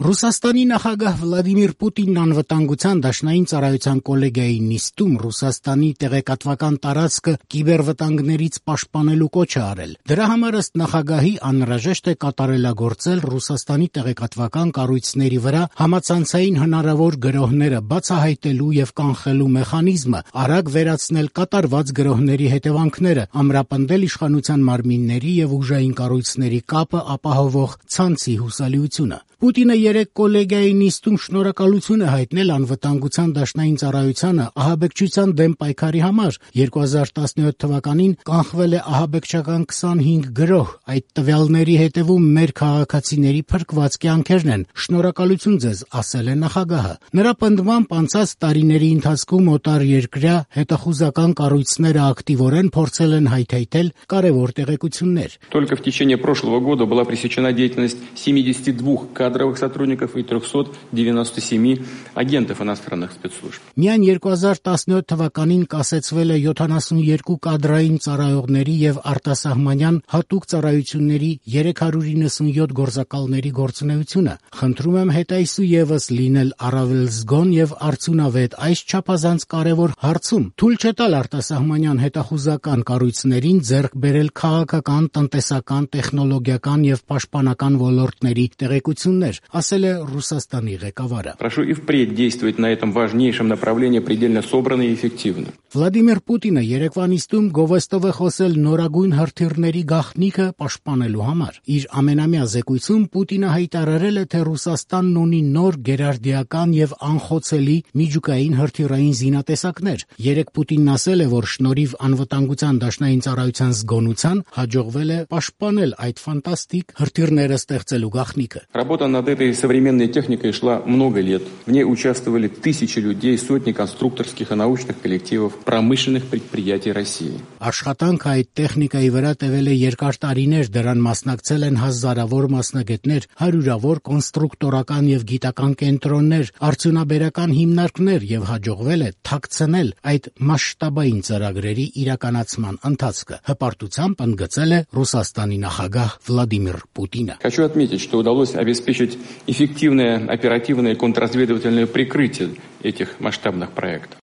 Ռուսաստանի նախագահ Վլադիմիր Պուտինն անվտանգության դաշնային ծառայության կոլեգիայի նիստում Ռուսաստանի տեղեկատվական տարածքը կիբերվտանգներից պաշտպանելու կոչ է արել։ Դրա համար ըստ նախագահի անհրաժեշտ է կատարելագործել Ռուսաստանի տեղեկատվական կառույցների վրա համացանցային հնարավոր գրոհները բացահայտելու եւ կանխելու մեխանիզմը, արագ վերացնել կատարված գրոհների հետևանքները, ամրապնդել իշխանության մարմինների եւ ուժային կառույցների կապը ապահովող ցանցի հուսալիությունը։ Պուտինը երեկ կոլեգիայի նիստում շնորհակալություն է հայտնել անվտանգության դաշնային ծառայությանը ահաբեկչության դեմ պայքարի համար։ 2017 թվականին կանխվել է ահաբեկչական 25 գրոհ, այդ տվյալների հետևում մեր քաղաքացիների փրկված կյանքերն են։ Շնորհակալություն ձեզ, ասել է նախագահը։ Նրա պնդմամբ անցած տարիների ընթացքում օտարերկրյա հետախուզական կառույցները ակտիվորեն փորձել են հայթայթել կարևոր տեղեկություններ։ Только в течение прошлого года была пресечена деятельность 72 кадровых сотрудников и 397 агентов иностранных спецслужб. Միայն 2017 թվականին կասեցվել է 72 կադրային ծառայողների եւ արտասահմանյան հատուկ ծառայությունների 397 գործակալների գործունեությունը։ Խնդրում եմ հետայսու եւս լինել առավել զգոն եւ արդյունավետ այս չափազանց կարևոր հարցում։ Թույլ չտալ արտասահմանյան հետախուզական կառույցներին ձեռք բերել քաղաքական, տնտեսական, տեխնոլոգիական եւ պաշտպանական ոլորտների տեղեկություններ, ասել է Ռուսաստանի ղեկավարը։ Прошу и впредь действовать на этом важнейшем направлении предельно собранно и эффективно. Վլադիմիր Պուտինը երեկվա նիստում գովեստով է խոսել նորագույն հրթիռների գաղտնիքը պաշտպանելու համար։ Իր ամենամյա զեկույցում Պուտինը հայտարարել է, թե Ռուսաստանն ունի նոր գերարդիական եւ անխոցելի միջուկային հրթիռային զինատեսակներ։ Երեկ Պուտինն ասել է, որ շնորհիվ անվտանգության դաշնային ծառայության զգոնության հաջողվել է պաշտպանել այդ ֆանտաստիկ հրթիռները ստեղծելու գաղտնիքը։ Работа над этой современной техникой шла много лет. В ней участвовали тысячи людей, сотни конструкторских и научных коллективов промышленных предприятий России. Աշխատանքը այդ տեխնիկայի վրա տևել է երկար տարիներ, դրան մասնակցել են հազարավոր մասնագետներ, հարյուրավոր կոնստրուկտորական եւ գիտական կենտրոններ, արդյունաբերական հիմնարկներ եւ հաջողվել է թաքցնել այդ մասշտաբային ծրագրերի իրականացման ընթացքը։ Հպարտությամբ ընդգծել է Ռուսաստանի նախագահ Վլադիմիր Պուտինը։ Хочу отметить, что удалось обеспечить эффективное оперативное контрразведывательное прикрытие этих масштабных проектов.